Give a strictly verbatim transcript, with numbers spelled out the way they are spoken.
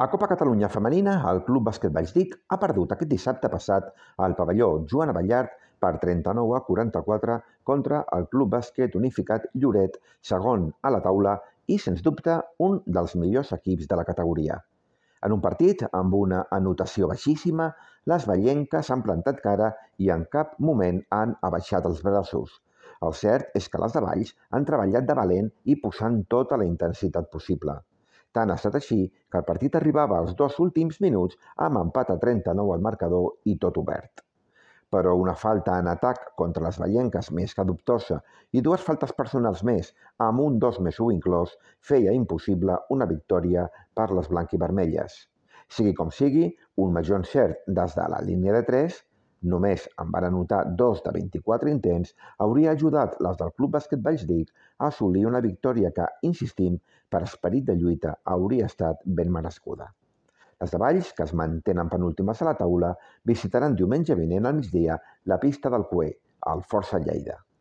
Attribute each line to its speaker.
Speaker 1: A Copa Catalunya Femenina, el Club Bàsquet Valldic ha perdut aquest dissabte passat al pavelló Joan Abellart per trenta-nou a quaranta-quatre contra el Club Bàsquet Unificat Lloret, segon a la taula i, sens dubte, un dels millors equips de la categoria. En un partit amb una anotació baixíssima, les vallenques han plantat cara i en cap moment han abaixat els braços. El cert és que les de Valls han treballat de valent i posant tota la intensitat possible. Tant ha estat així que el partit arribava als dos últims minuts amb empat a trenta-nou al marcador i tot obert. Però una falta en atac contra les vallenques més que dubtosa i dues faltes personals més, amb un dos més u inclòs, feia impossible una victòria per les blanquivermelles. Sigui com sigui, un major encert des de la línia de tres, només en van anotar dos de vint-i-quatre intents, hauria ajudat les del Club Bàsquet Valldic a assolir una victòria que, insistim, per esperit de lluita hauria estat ben merescuda. Les de Valls, que es mantenen penúltimes a la taula, visitaran diumenge vinent al migdia la pista del Cué, al Força Lleida.